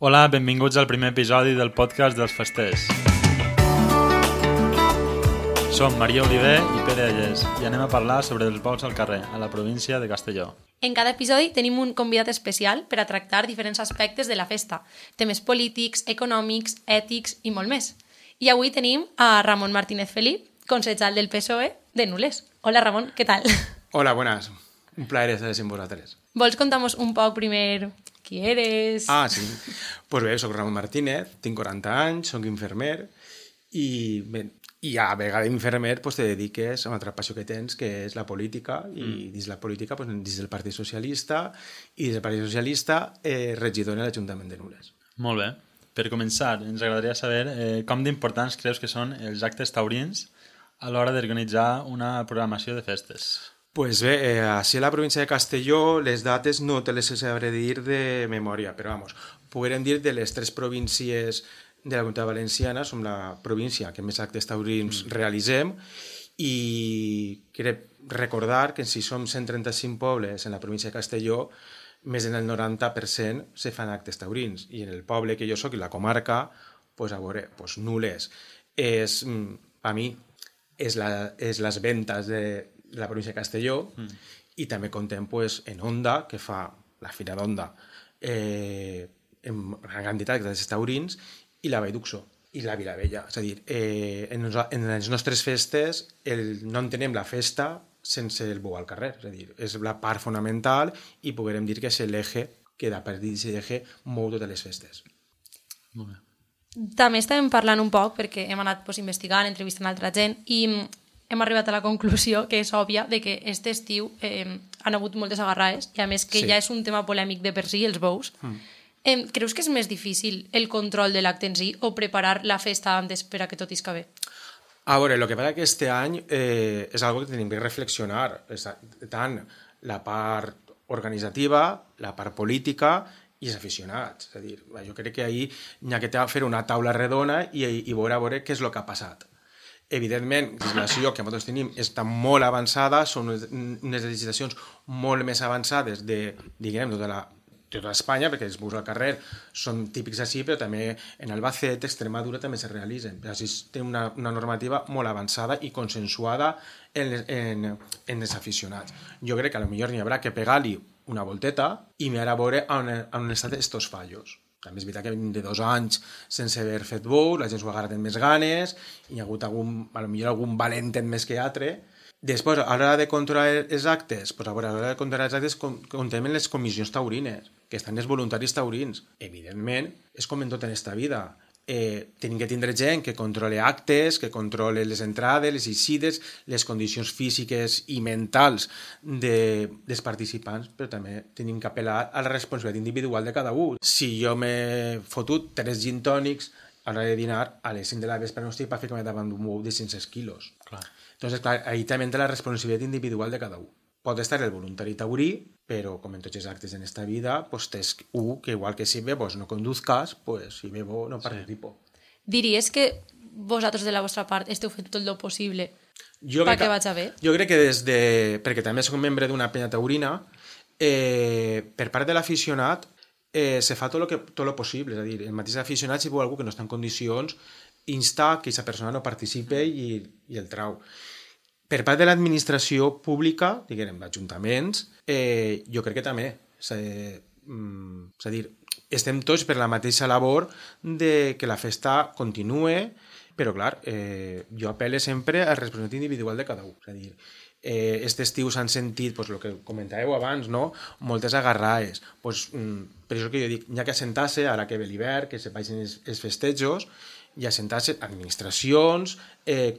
Hola, benvinguts al primer episodi del podcast dels festers. Som Maria Oliver i Pere Allés i anem a parlar sobre els bous al carrer, a la província de Castelló. En cada episodi tenim un convidat especial per a tractar diferents aspectes de la festa, temes polítics, econòmics, ètics i molt més. I avui tenim a Ramon Martínez Felip, concejal del PSOE de Nules. Hola Ramon, què tal? Hola, buenas. Un plaer estar amb vosaltres. Vols contar-nos un poc primer qui eres? Ah, sí. Pues bé, soc Ramon Martínez, tinc 40 anys, soc infermer i a vegades infermer pues, te dediques a una altra passió que tens, que és la política, i dins la política, pues, dins del Partit Socialista, i dins del Partit Socialista regidor en l'Ajuntament de Nules. Molt bé. Per començar, ens agradaria saber com d'importants creus que són els actes taurins a l'hora d'organitzar una programació de festes. Pues bé, així a la província de Castelló les dates no te les sabré dir de memòria, però vamos, podrem dir de les tres províncies de la Comunitat Valenciana, som la província que més actes taurins realitzem, i crec recordar que si som 135 pobles en la província de Castelló, més del 90% se fan actes taurins, i en el poble que jo soc, i la comarca, pues, a veure, pues, Nules és, a mi, és les ventes de la província de Castelló, i també contem pues, en Onda, que fa la Fira d'Onda, en gran quantitat de taurins, i la Vall d'Uxó, i la Vilavella. És a dir, en les nostres festes no entenem la festa sense el bou al carrer. És a dir, és la part fonamental i podrem dir que és l'eje que de partir d'aquest eje mou totes les festes. Molt bé. També estàvem parlant un poc, perquè hem anat investigant, entrevistant altra gent, i hem arribat a la conclusió, que és òbvia, de que aquest estiu han hagut moltes agarrades, i a més que ja és un tema polèmic de per si, els bous. Creus que és més difícil el control de l'acte en si o preparar la festa antes per a que tot isca bé? A veure, el que passa que este any és algo que tenim que reflexionar, tant la part organitzativa, la part política i els aficionats. És a dir, jo crec que ahir n'hi ha que fer una taula redona i veure què és el que ha passat. Evidentment, la legislació que nosaltres tenim està molt avançada, són unes legislacions molt més avançades de tota Espanya, perquè els bous al carrer són típics així, però també en Albacete, Extremadura també se realitzen. Així té una normativa molt avançada i consensuada en els aficionats. Jo crec que potser n'hi haurà que pegar-li una volteta i mirar a veure on estan estos fallos. També és veritat que venim de 2 anys sense haver fet bou, la gent s'ho ha agarrat amb més ganes, i hi ha hagut algun valent més que altre. Després, a l'hora de controlar els actes, contem les comissions taurines, que estan els voluntaris taurins. Evidentment, és com en tot en esta vida. Tenim que tindre gent que controle actes, que controle les entrades, les eixides, les condicions físiques i mentals dels participants, però també tenim que apel·lar a la responsabilitat individual de cada un. Si jo m'he fotut 3 gin tònics a l'hora de dinar, a les 5 de la vespre no estic per fer-me davant d'un bou de 500 quilos. Clar. Entonces, clar, ahí també entra la responsabilitat individual de cada un. Pot estar el voluntari taurí, però com en tots els actes en esta vida, pues tens un que igual que si bebos no conduzcas, pues si bebo no participo. Diries que vosaltres de la vostra part esteu fent tot el possible perquè vaig a bé? Jo crec que perquè també soc membre d'una penya taurina, per part de l'aficionat se fa tot el possible, és a dir, el mateix aficionat si veu algú que no està en condicions, insta que aquesta persona no participe i el trau. Per part de l'administració pública, diguem, d'ajuntaments, jo crec que també. És a dir, estem tots per la mateixa labor de que la festa continue, però, clar, jo apel·lo sempre a la responsabilitat individual de cada un. És a dir, aquest estiu s'han sentit, el que comentàveu abans, moltes agarrades. Per això que jo dic, hi ha que assentar-se, ara que ve l'hivern, que se vagin els festejos, i assentar-se administracions,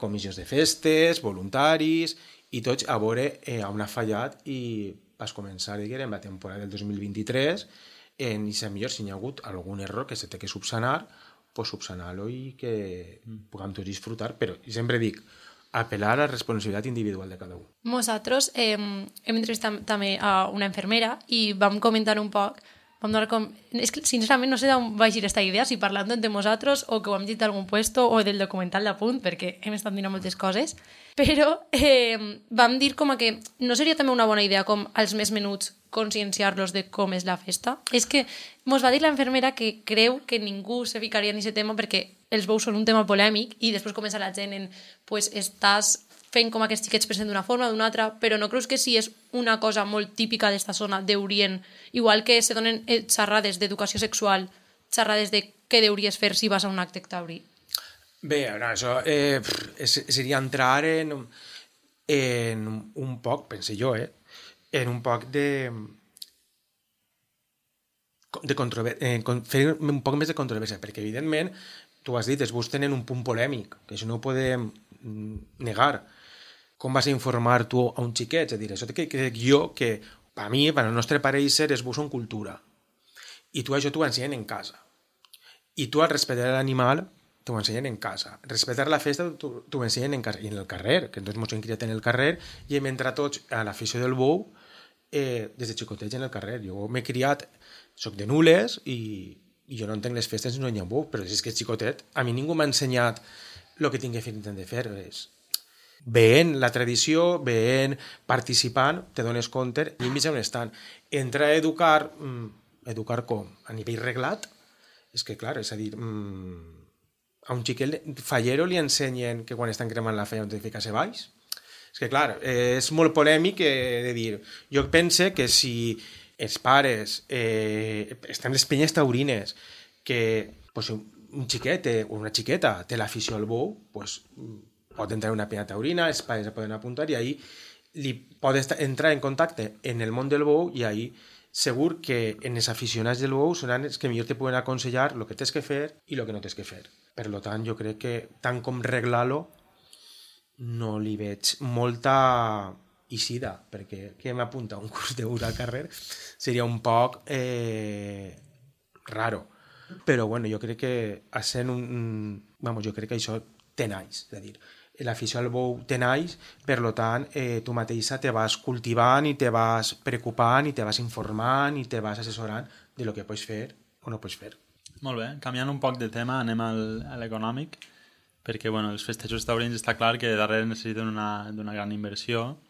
comissions de festes, voluntaris, i tots a veure on ha fallat i vas començar la temporada del 2023 i si millor si hi ha hagut algun error que se té que subsanar, pues subsanar-lo i que puguem tots disfrutar, però sempre dic, apel·lar a la responsabilitat individual de cada un. Nosaltres hem entrevistat també a una infermera i vam comentar un poc. És que, sincerament, no sé d'on va girar aquesta idea, si parlant entre nosaltres o que ho hem dit d'algun puesto o del documental d'Apunt, perquè hem estat mirant moltes coses, però vam dir com que no seria també una bona idea com als més menuts conscienciar-los de com és la festa. És que mos va dir la infermera que creu que ningú se ficaria en aquest tema perquè els bous són un tema polèmic i després comença la gent en pues, estàs fent com aquests xiquets present d'una forma o d'una altra, però no creus que sí és una cosa molt típica d'esta zona d'Orient, igual que se donen xerrades d'educació sexual, xerrades de què deuries fer si vas a un acte taurí? Bé, no, això seria entrar en un poc, pense jo, en un poc de fer un poc més de controvèrsia, perquè evidentment, tu has dit, es bus tenen un punt polèmic, que això no ho podem negar. Com vas a informar tu a un xiquet? És a dir, això crec jo que, per mi, per al nostre pareixer, es bus són cultura. I tu això t'ho ensenyen en casa. I tu al respectar l'animal t'ho ensenyen en casa. Respectar la festa t'ho ensenyen en casa. I en el carrer, que ens hem criat en el carrer i hem entrat tots a l'afició del bou des de xicotets en el carrer. Jo m'he criat, soc de Nules i jo no entenc les festes si no hi ha bou, però si és que és xicotet, a mi ningú m'ha ensenyat el que tinc que fer i tinc de fer. Veient la tradició, veient, participant, te dones compte i mig on estan. Entrar a educar com? A nivell reglat? És que, clar, és a dir, a un xiquet fallero li ensenyen que quan estan cremant la feina han de ficar-se baix? És que, clar, és molt polèmic de dir. Jo pense que si els pares estan les penyes taurines que pues, un xiquet o una xiqueta té l'afició al bou, pues, pot entrar en una penya taurina, els pares la poden apuntar i ahir li pot entrar en contacte en el món del bou i ahir segur que en els aficionats del bou seran els que millor te poden aconsellar el que tens que fer i el que no tens que fer. Per tant, jo crec que tant com reglar-lo no li veig molta eixida, perquè que m'apunta un curs de bus al carrer seria un poc raro. Però bueno, jo crec que jo crec que això té naix, és a dir, l'afició al bou té naix, per tant, tu mateixa te vas cultivant i te vas preocupant i te vas informant i te vas assessorant de lo que pots fer o no pots fer. Molt bé, canviant un poc de tema, anem a l'econòmic, perquè bueno, els festejos taurins està clar que darrere necessiten d'una gran inversió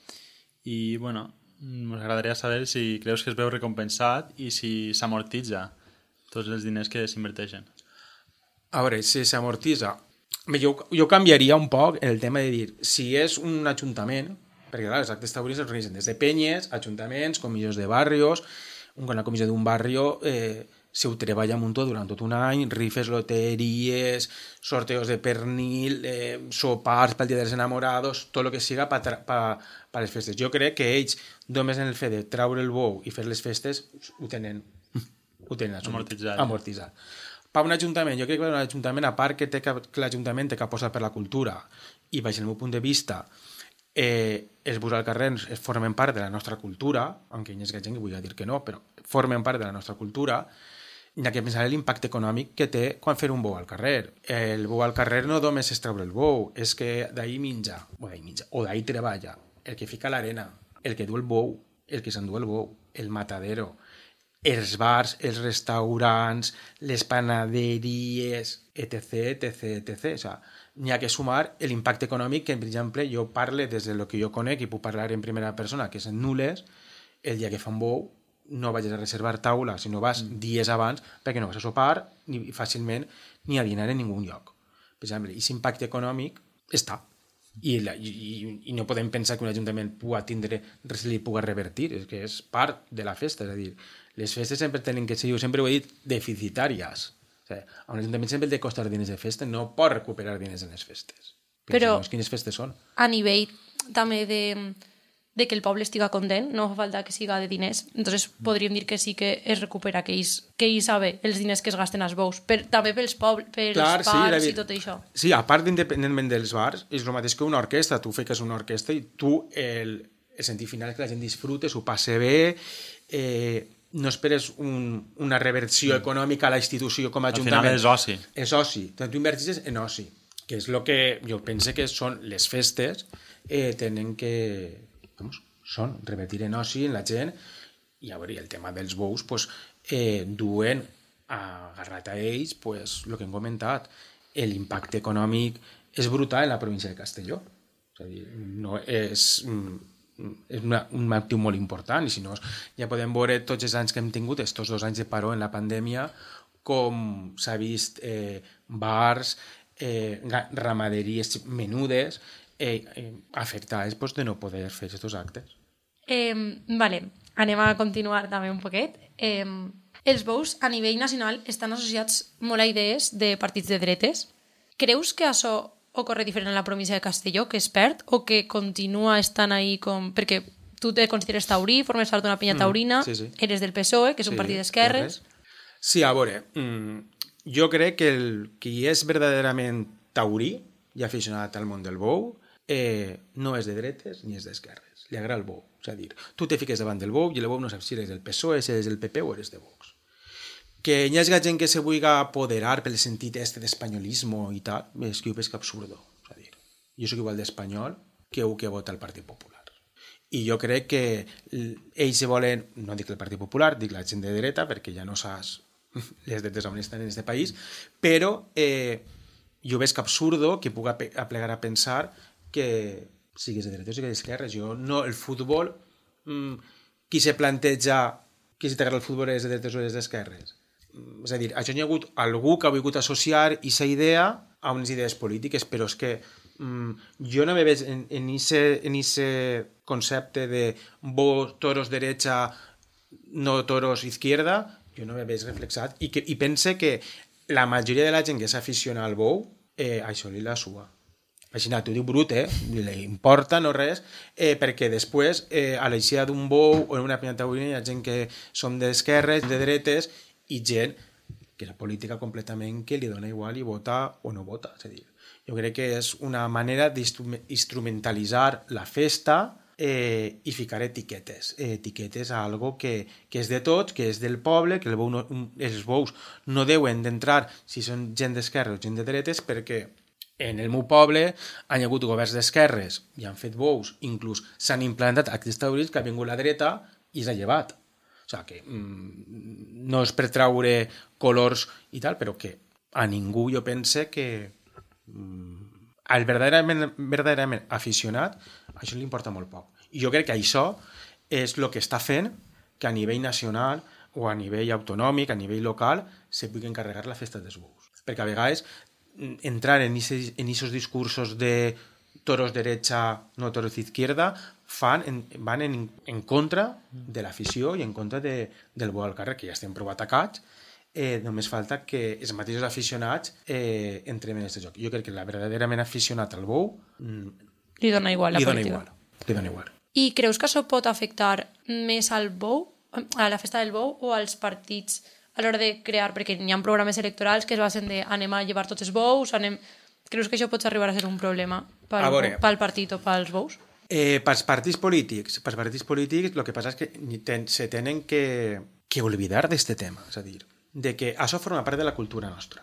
i bueno, m'agradaria saber si creus que es veu recompensat i si s'amortitza tots els diners que s'inverteixen. A veure, si s'amortitza... Jo canviaria un poc el tema de dir, si és un ajuntament, perquè clar, els actes taurins es organitzen des de penyes, ajuntaments, comissions de barrios, una comissió d'un barrio se ho treballa amb un durant tot un any, rifes, loteries, sorteos de pernil, sopars pel dia dels enamorados, tot el que siga per les festes. Jo crec que ells, només en el fet de traure el bou i fer les festes, ho tenen amortitzat. Per un ajuntament, jo crec que un ajuntament, a part que l'Ajuntament té que apostar per la cultura i, baix el meu punt de vista, els bus al carrer formen part de la nostra cultura, aunque hi ha gent que vull dir que no, però formen part de la nostra cultura, hi ha que pensar en l'impacte econòmic que té quan fer un bou al carrer. El bou al carrer no només és treure el bou, és que d'ahir menja, o d'ahir treballa, el que fica l'arena, el que du el bou, el que s'endú el bou, el matadero, els bars, els restaurants, les panaderies, etc. O sea, n'hi ha que sumar l'impacte econòmic que, per exemple, jo parle des del que jo conec i puc parlar en primera persona, que és en Nules, el dia que fa un bou no vagis a reservar taula, sinó vas dies abans perquè no vas a sopar ni fàcilment ni a dinar en ningú lloc. Per exemple, aquest impacte econòmic està. I no podem pensar que un ajuntament pugui tindre res li pugui revertir, és que és part de la festa, és a dir, les festes sempre tenen que ser, jo sempre ho he dit, deficitàries. O sigui, a un ajuntament sempre té costar diners de festa, no pot recuperar diners en les festes. Però quines festes són? A nivell també de que el poble estiga content, no fa falta que siga de diners, entonces podríem dir que sí que es recupera, que ells saben els diners que es gasten als bous, també pels bars i tot això. Sí, a part independentment dels bars, és el mateix que una orquestra, tu fiques una orquestra i tu el sentit final és que la gent disfrute, s'ho passe bé, no esperes una reversió econòmica a la institució com a ajuntament. Al final és oci. És oci. Tu invertis en oci, que és el que jo pense que són les festes, tenen que revertir en oci en la gent, i a veure, el tema dels bous duen agarrat a ells el que hem comentat, l'impacte econòmic és brutal en la província de Castelló. És a dir, no és és un actiu molt important, i si no, ja podem veure tots els anys que hem tingut, estos 2 anys de paró en la pandèmia, com s'ha vist bars, ramaderies menudes afectades de no poder fer aquests actes. Vale, anem a continuar també un poquet. Els bous a nivell nacional estan associats molt a idees de partits de dretes. Creus que això ocorre diferent en la província de Castelló, que es perd, o que continua estant ahí com... Perquè tu te consideres taurí, formes part d'una pinya taurina, sí. Eres del PSOE, que és un partit d'esquerres... Sí, a veure, jo crec que qui és verdaderament taurí i aficionat al món del bou no és de dretes ni és d'esquerres. Li agrada el bou. És a dir, tu te fiques davant del bou i el bou no saps si eres del PSOE, si eres del PP o eres de Vox. Que hi hagi gent que se vulgui apoderar pel sentit d'espanyolisme i tal, és que jo veig que absurdo. És a dir, jo soc igual d'espanyol que un que vota el Partit Popular. I jo crec que ells se volen, no dic el Partit Popular, dic la gent de dreta, perquè ja no saps les dretes on estan en aquest país, però jo veig que absurdo que puc aplegar a pensar que siguis de dretes o siguis d'esquerres. Jo no, el futbol, qui se planteja qui si t'agrada el futbol és de dretes o és d'esquerres? És a dir, això hi ha hagut algú que ha volgut associar aquesta idea a unes idees polítiques, però és que jo no me veig en ese concepte de toros derecha, no toros izquierda, jo no me veig reflexat i pense que la majoria de la gent que s'aficiona al bou, això li la sua. Així, t'ho diu brut, li importa, no res, perquè després, a l'eixida d'un bou o en una pinya taurina hi ha gent que som d'esquerres, de dretes, i gent que la política completament que li dona igual i vota o no vota. És a dir, jo crec que és una manera d'instrumentalitzar la festa i ficar etiquetes a algo que és de tots, que és del poble, que els bous no deuen d'entrar si són gent d'esquerra o gent de dretes, perquè en el meu poble han hagut governs d'esquerres i han fet bous, inclús s'han implantat aquests taurins que ha vingut la dreta i s'ha llevat. O sigui, que no és per traure colors i tal, però que a ningú jo pense que el verdaderament aficionat això li importa molt poc. I jo crec que això és el que està fent que a nivell nacional o a nivell autonòmic, a nivell local, se pugui encarregar la festa dels bous. Perquè a vegades entrar en esos discursos de toros derecha, no toros izquierda, van en contra de l'afició i en contra del bou al carrer, que ja estem prou atacats. Només falta que els mateixos aficionats entrem en aquest joc. Jo crec que la verdaderament aficionat al bou li dona igual la política. Li dona igual. I creus que això pot afectar més al bou, a la festa del bou, o als partits a l'hora de crear, perquè hi ha programes electorals que es basen de anem a llevar tots els bous, creus que això pot arribar a ser un problema pel partit o pels bous? Pels partits polítics el que passa és que se tenen que oblidar d'aquest tema, és a dir, de que això forma part de la cultura nostra.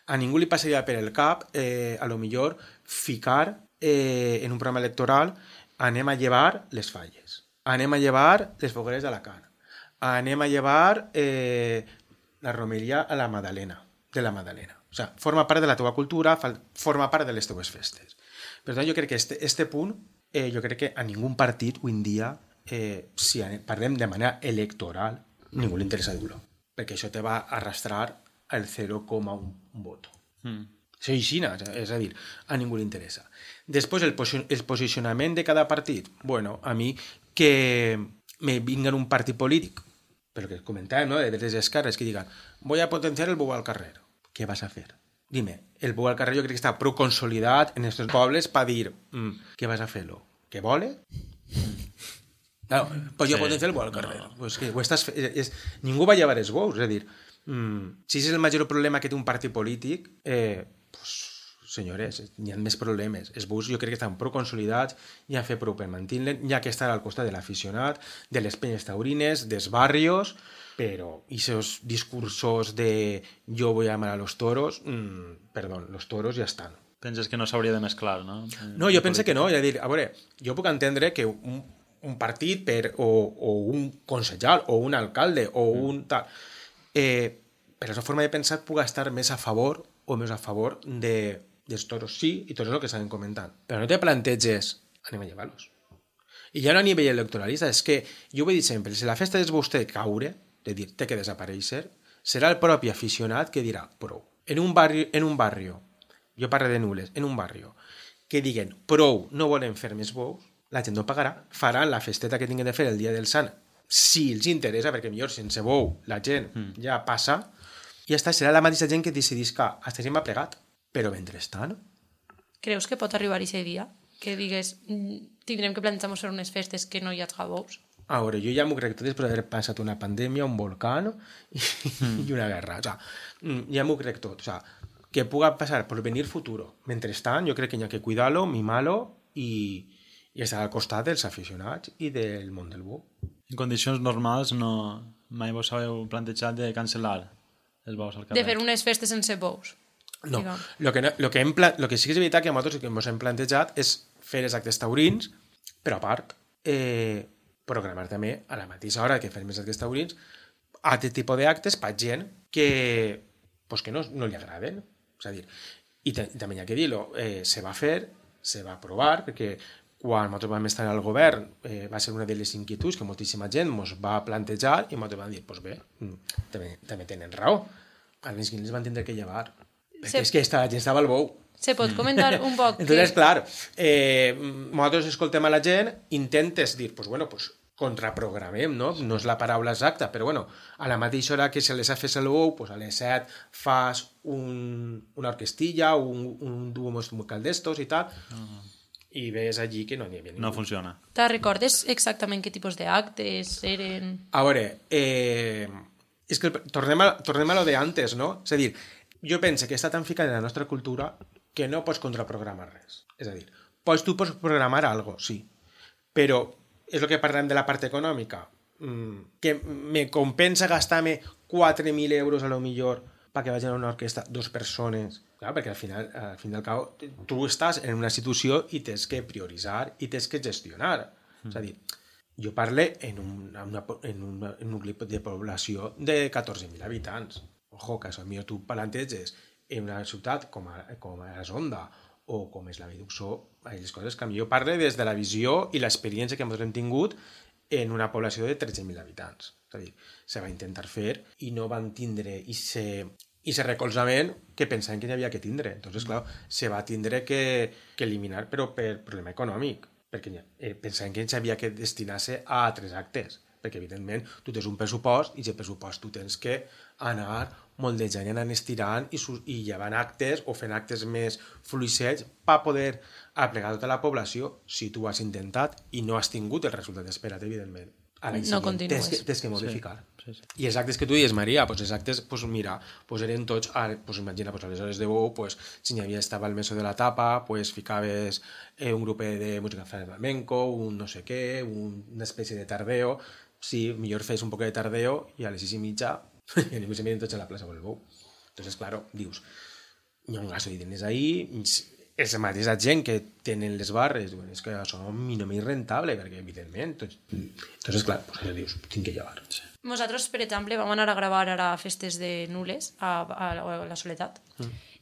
A ningú li passaria per el cap a lo millor ficar en un programa electoral anem a llevar les falles, anem a llevar les fogueres d'Alacant, anem a llevar la romeria a la Madalena, de la Madalena. O sigui, forma part de la teva cultura, forma part de les teves festes. Per tant, jo crec que este punt, jo crec que a ningú partit avui en dia, si parlem de manera electoral, ningú li interessa dur-lo, perquè això te va arrastrar al 0,1 voto. Això és a dir, a ningú li interessa. Després, el posicionament de cada partit, bueno, a mi que me vinguen un partit polític, però que comentàvem, ¿no?, de dretes i esquerres, que digan, voy a potenciar el bou al carrer. ¿Qué vas a hacer? Dime, el bou al carrer jo crec que està prou consolidat en aquests pobles per dir, ¿qué vas a fer-lo? ¿Que vole? Claro, pues jo potenciar el bou al carrer. No. Pues que ningú va llevar els bous, és a dir, si és el major problema que té un partit polític, senyores, hi ha més problemes. Els bous jo crec que estan prou consolidats, ja han fet prou per mantenir-les, ja que estan al costat de l'aficionat, de les penyes taurines, dels barrios, però aquests discursos de yo voy a amar a los toros, perdón, los toros ja estan. Penses que no s'hauria de mesclar, no? No, jo penso que no. És a dir, a veure, jo puc entendre que un partit o un concejal o un alcalde o un tal, per la seva forma de pensar puc estar més a favor o més a favor dels toros, sí, i tot és el que estàvem comentant. Però no te planteges, anem a llevar-los. I ja no a nivell electoralista, és que jo ho he dit sempre, si la festa dels bous té de caure, de dir, té que desaparèixer, serà el propi aficionat que dirà, prou. En un barrio, jo parlo de Nules, en un barrio, que diguen, prou, no volem fer més bous, la gent no pagarà, faran la festeta que tinguin de fer el dia del Sant, si els interessa, perquè millor sense bou la gent ja passa, i ja està, serà la mateixa gent que decidís que aquesta gent m'ha plegat, però mentrestant... Creus que pot arribar aquest dia? Que digues, tindrem que plantejar-nos fer unes festes que no hi hagi bous? A veure, jo ja m'ho crec tot després d'haver passat una pandèmia, un volcán i una guerra. O sea, ja m'ho crec tot. O sea, que puga passar por venir futuro. Mentrestant, jo crec que hi ha que cuidar-lo, mimar-lo i estar al costat dels aficionats i del món del bou. En condicions normals mai vos heu plantejat de cancel·lar els bous al carrer? De fer unes festes sense bous? No, lo que sí que és veritat que a nosaltres que ens hem plantejat és fer els actes taurins, però a part programar també a la mateixa hora que fem els actes taurins altre tipus d'actes per gent que no li agraden. És a dir, i també hi ha que dir-ho, se va fer, se va aprovar, perquè quan nosaltres vam estar al govern va ser una de les inquietuds que moltíssima gent ens va plantejar i nosaltres vam dir, doncs bé, també tenen raó. A les que les van tindre que llevar. Perquè és que la gent estava al bou. Se pot comentar un poc? Entonces, clar, nosaltres escoltem a la gent, intentes dir, doncs bueno, contraprogramem, no? No és la paraula exacta, però bueno, a la mateixa hora que se les ha fet el bou, pues a les 7 fas una orquestilla, un duo musical d'estos i tal, i ves allí que no n'hi havia ningú. No funciona. Te recordes exactament què tipus d'actes eren? A veure, és que tornem a lo de antes, no? És a dir, jo penso que està tan ficat en la nostra cultura que no pots contraprogramar res. És a dir, tu pots programar algo, sí, però és el que parlem de la part econòmica, que me compensa gastar-me 4.000 euros a lo millor perquè vagin a una orquestra 2 persones, clar, perquè al final al cabo tu estàs en una situació i tens que prioritzar i tens que gestionar. És a dir, jo parlo en un nucli de població de 14.000 habitants. Ojo, que potser tu planteges en una ciutat com a Sonda o com és la Viduxó, les coses que jo parlo des de la visió i l'experiència que hem tingut en una població de 13.000 habitants. És a dir, se va intentar fer i no van tindre i recolzament que pensaven que hi havia que tindre. Entonces, clar, se va tindre que eliminar, però per problema econòmic, perquè pensaven que s'havia que destinar-se a altres actes, perquè evidentment tu tens un pressupost i aquest pressupost tu tens que anar moldejant i anant estirant i llevant actes o fent actes més fluixets per poder aplegar tota la població. Si tu ho has intentat i no has tingut el resultat esperat, evidentment, no continues. Tens que modificar. Sí. I els actes que tu dius, Maria, els actes, mira, eren tots, imagina, a les hores de bou, si n'hi havia estava el meso de la tapa, ficaves un grup de música flamenco, un no sé què, una espècie de tardeo. Sí, millor fes un poc de tardeo i a les 6:30 i ningú se miren tots a la plaça del bou. Entonces, claro, dius, hi ha un gasto de diners ahí, és la mateixa gent que tenen les barres, diuen, és que això no m'és rentable, perquè evidentment, entonces, clar, dius, tinc que llevar. Sí. Nosaltres, per exemple, vam anar a gravar ara festes de Nules a la Soledat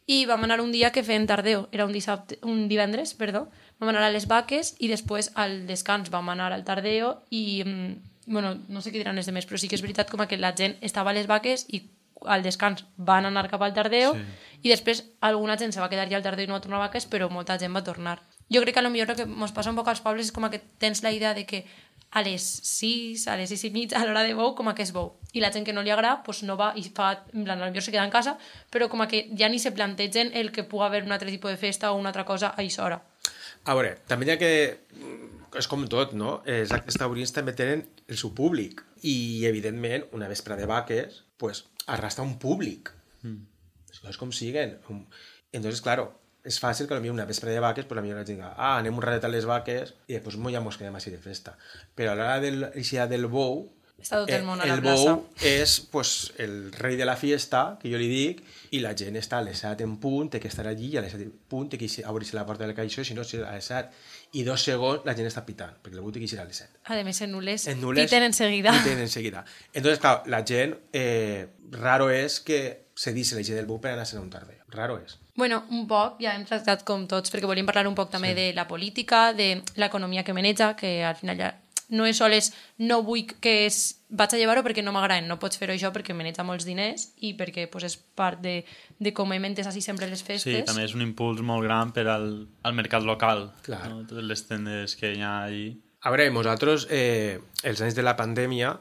i vam anar un dia que feien tardeo, era un divendres, vam anar a les Vaques i després al descans vam anar al tardeo i bueno, no sé què diran els demés, però sí que és veritat com que la gent estava a les Vaques i al descans van anar cap al tardeo i després alguna gent se va quedar ja al tardeo i no va tornar a Vaques, però molta gent va tornar. Jo crec que a lo millor el que ens passa un poc als pobles és com que tens la idea de que a les 6, a les 6:30, a l'hora de bou, com que és bou. I la gent que no li agrada, doncs no va i fa, en plan, potser se queda en casa, però com que ja ni se plantegen el que pugui haver un altre tipus de festa o una altra cosa a aquesta hora. A veure, també hi ha que... És com tot, no? Els actes taurins també tenen el seu públic. I, evidentment, una vespre de vaques, pues, arrastra un públic. Les coses com siguen. Entonces, claro, és fàcil que potser una vespre de vaques, pues, la millor gent diga, anem un ratet a les vaques i després ja ens quedem així de festa. Però a l'hora del bou, està tot el món a la plaça. El bou és pues, el rei de la fiesta, que jo li dic, i la gent està a les 7 en punt, té que estar allí, i a les 7 en punt té que obrir-se la porta del caixó, si no, a les 7 i 2 segons la gent està pitant, perquè el bou té que ir a les 7. A més, en Nules piten enseguida. Entonces, claro, la gent raro és que cedís l'eix del bou per anar a un tarder. Raro és. Bueno, un poc, ja hem tractat com tots, perquè volíem parlar un poc també de la política, de l'economia que maneja, que al final ja no és sols no vull que vaig a llevar-ho perquè no m'agraden, no pots fer-ho això perquè maneja molts diners i perquè pues, és part de com hem entès així sempre les festes. Sí, també és un impuls molt gran per al mercat local. Clar. No? Totes les tendes que hi ha allí. A veure, nosaltres, els anys de la pandèmia,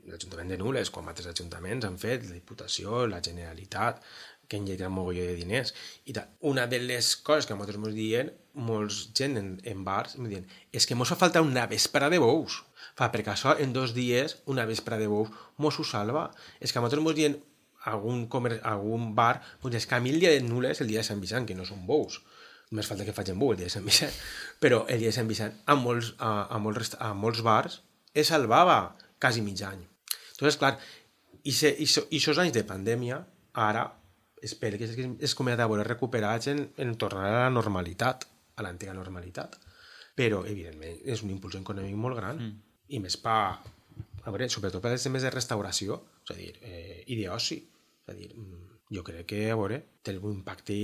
l'Ajuntament de Nules, com altres ajuntaments han fet, la Diputació, la Generalitat, que han llegit un mogolló de diners. I tal. Una de les coses que nosaltres ens diuen, molts gent en bars, em diuen, és que mos fa falta una vespra de bous. Perquè això, en 2 dies, una vespra de bous mos ho salva. És que nosaltres ens diuen, algun bar, és que a mi el dia de Nules, el dia de Sant Vicent, que no són bous, només falta que facin bou el dia de Sant Vicent, però el dia de Sant Vicent, a molts bars, es salvava quasi mig any. Entonces, clar, i aquests anys de pandèmia, ara, espero que es comença a veure recuperats en tornar a la normalitat, a l'antiga normalitat. Però, evidentment, és un impuls econòmic molt gran. I més a veure, sobretot per als temes de restauració, és a dir, i d'oci. És a dir, jo crec que, a veure, té un impacte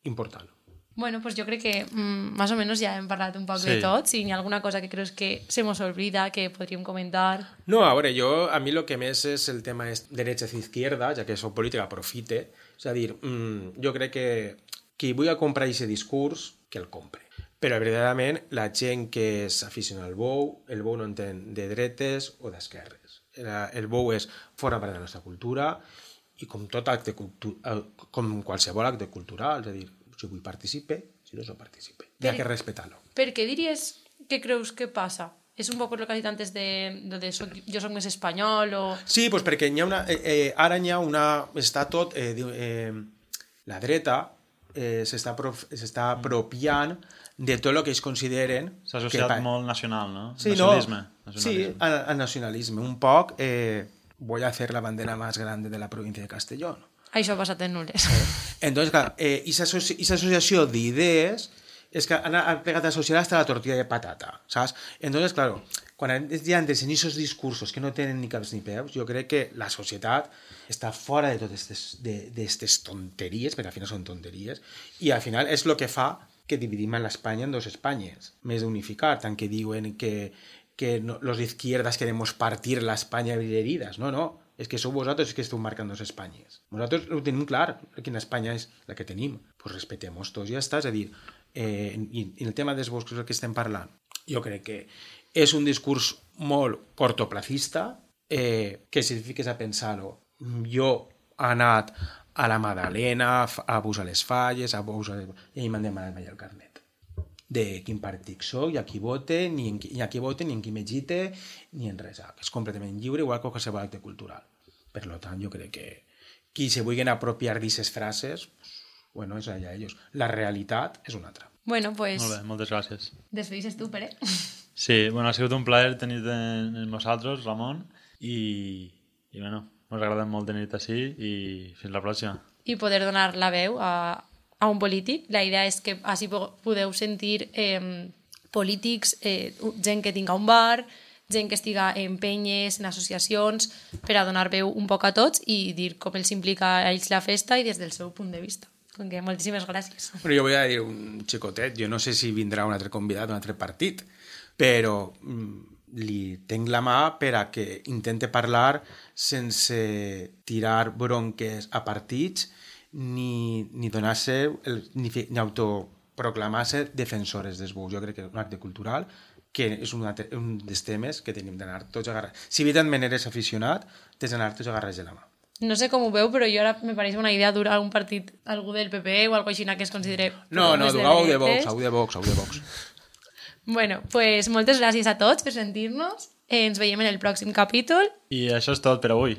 important. Bueno, pues jo crec que más o menos ja hem parlat un poc de tot. Si hi ha alguna cosa que creus que se nos olvida, que podríem comentar... No, a veure, a mi el que més és el tema és derecha-izquierda, ja que soc política, aprofite. És a dir, jo crec que qui vulgui comprar aquest discurs, que el compre. Però, verdaderament, la gent que s'aficiona al bou, el bou no entén de dretes o d'esquerres. El bou és fora part de la nostra cultura i com tot acte com qualsevol acte cultural, és a dir, si vull participe, si no participe. Hi ha que respectar-lo. Per què diries que creus que passa? És un poc el que has dit antes de jo soc més espanyol o... Sí, doncs perquè ara hi ha una... Està tot... la dreta s'està apropiant de tot el que ells consideren... S'ha associat molt nacional, no? Sí, nacionalisme. Sí, al nacionalisme. Un poc, voy a hacer la bandera más grande de la provincia de Castellón. Això ha passat en Nules. Entonces, clar, aquesta associació d'idees és que han pegat a associar hasta la tortilla de patata, saps? Entonces, claro, quan hi ha aquests discursos que no tenen ni caps ni peus, jo crec que la societat està fora de totes aquestes tonteries, perquè al final són tonteries, i al final és el que fa que dividim l'Espanya en 2 Espanyes, més d'unificar, tant que diuen que los izquierdas queremos partir la España en heridas. No, és que sou vosaltres que esteu marcant 2 Espanyes. Nosaltres ho tenim clar, quina Espanya és la que tenim. Pues respectem-nos tots, ja està. És a dir, i el tema dels boscos que estem parlant, jo crec que és un discurs molt cortoplacista, que si et fiques a pensar-ho, jo he anat a la Madalena, a Bus a les Falles, i m'han demanat mai el carnet de quin partit soc, i a qui vote, ni en qui m'egite, ni en res. És completament lliure, igual que qualsevol acte cultural. Per tant, jo crec que qui se vulguin apropiar d'aquestes frases, bueno, és allà ells. La realitat és una altra. Bueno, pues... Molt bé, moltes gràcies. Despedixes tu, Pere. Sí, bueno, ha sigut un plaer tenir-te amb nosaltres, Ramon, i bueno, ens agrada molt tenir-te així i fins la pròxima. I poder donar la veu a un polític. La idea és que així podeu sentir polítics, gent que tinga un bar, gent que estiga en penyes, en associacions, per a donar veu un poc a tots i dir com els implica a ells la festa i des del seu punt de vista. Donc, moltíssimes gràcies. Bueno, jo vull dir un xicotet. Jo no sé si vindrà un altre convidat d'un altre partit, però li tenc la mà per a que intente parlar sense tirar bronques a partits ni donar-se ni autoproclamar-se defensores dels bous. Jo crec que és un acte cultural que és un dels temes que tenim d'anar tots agarrats. Si evidentment eres aficionat, tens d'anar tots agarrats de la mà. No sé com ho veu, però jo ara me pareix una idea dura un partit, algú del PP o algo així que es considere... No, dugueu de Vox. Bueno, pues moltes gràcies a tots per sentir-nos. Ens veiem en el pròxim capítol. I això és tot per avui.